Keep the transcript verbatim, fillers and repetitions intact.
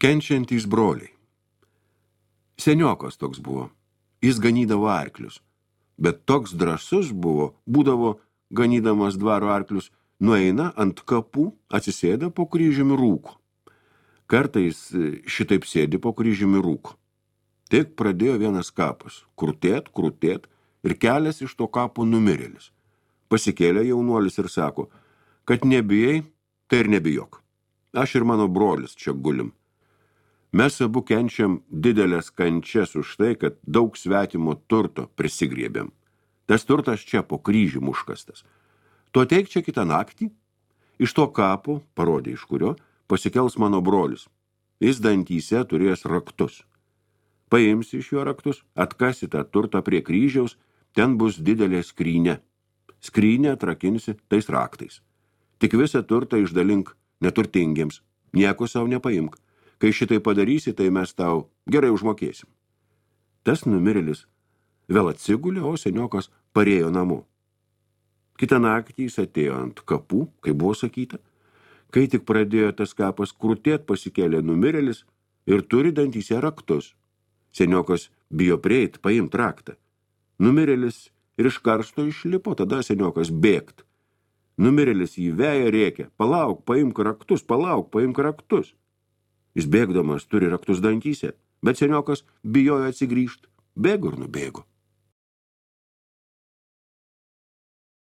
Kenčiantys broliai. Seniokas toks buvo. Jis ganydavo arklius. Bet toks drąsus buvo, būdavo ganydamas dvaro arklius, nueina ant kapų, atsisėda po kryžiumi rūko. Kartais šitaip sėdi po kryžiumi rūko. Tik pradėjo vienas kapas, krutėt, krutėt, ir kelias iš to kapo numirėlis. Pasikėlė jaunuolis ir sako, kad nebijai, tai ir nebijok. Aš ir mano brolis čia gulim. Mes abu kenčiam didelės kančias už tai, kad daug svetimo turto prisigriebėm. Tas turtas čia po kryžium užkastas. Tu ateik čia kitą naktį, iš to kapo, parodė iš kurio, pasikels mano brolis. Jis dantyse turės raktus. Paimsi iš jo raktus, atkasi tą turtą prie kryžiaus, ten bus didelė skrynė. Skrynę atrakinsi tais raktais. Tik visą turtą išdalink neturtingiems, nieko savo nepaimk. Kai šitai padarysi, tai mes tau gerai užmokėsim. Tas numirėlis vėl atsigulė, o seniokas parėjo namo. Kitą naktį jis atėjo ant kapų, kaip buvo sakyta. Kai tik pradėjo tas kapas krutėt, pasikėlė numirėlis ir turi dantyse raktus. Seniokas bijo prieit, paimt raktą. Numirėlis ir iš karsto išlipo, tada seniokas bėgt. Numirėlis jį veja rėkia, palauk, paimk raktus, palauk, paimk raktus. Jis bėgdamas turi raktus dantyse, bet seniokas bijojo atsigrįžt, bėgo ir nubėgo.